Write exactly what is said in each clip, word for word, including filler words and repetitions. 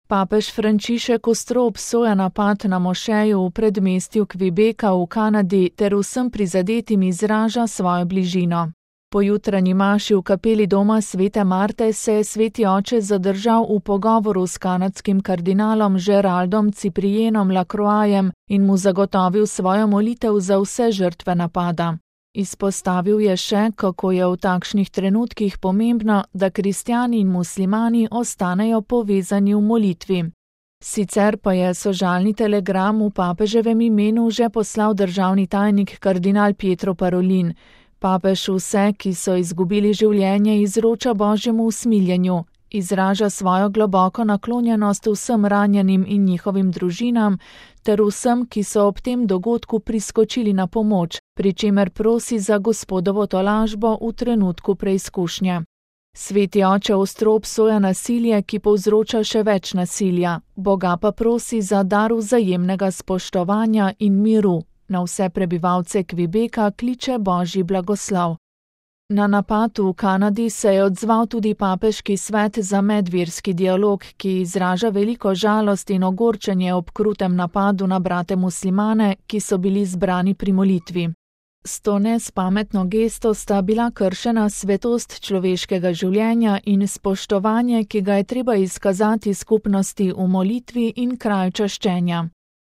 Papež Frančišek ostro obsoja napad na mošejo v predmestju Quebeca v Kanadi ter vsem prizadetim izraža svojo bližino. Po jutranji maši v kapeli doma svete Marte se je sveti oče zadržal v pogovoru s kanadskim kardinalom Geraldom Ciprienom Lacroixem in mu zagotovil svojo molitev za vse žrtve napada. Izpostavil je še, kako je v takšnih trenutkih pomembno, da kristjani in muslimani ostanejo povezani v molitvi. Sicer pa je sožalni telegram v papeževem imenu že poslal državni tajnik kardinal Pietro Parolin. Papež vse, ki so izgubili življenje, izroča božjemu usmiljenju, izraža svojo globoko naklonjenost vsem ranjenim in njihovim družinam, ter vsem, ki so ob tem dogodku priskočili na pomoč, pri čemer prosi za Gospodovo tolažbo v trenutku preizkušnje. Sveti oče ostro obsoja nasilje, ki povzroča še več nasilja, Boga pa prosi za dar vzajemnega spoštovanja in miru. Na vse prebivalce Quebeca kliče božji blagoslov. Na napad v Kanadi se je odzval tudi papeški svet za medverski dialog, ki izraža veliko žalost in ogorčenje ob krutem napadu na brate muslimane, ki so bili zbrani pri molitvi. S to nespametno gesto sta bila kršena svetost človeškega življenja in spoštovanje, ki ga je treba izkazati skupnosti v molitvi in kraju čaščenja.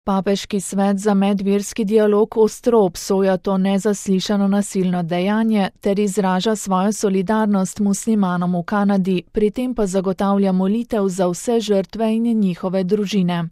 Papeški svet za medverski dialog ostro obsoja to nezaslišano nasilno dejanje ter izraža svojo solidarnost muslimanom v Kanadi, pri tem pa zagotavlja molitev za vse žrtve in njihove družine.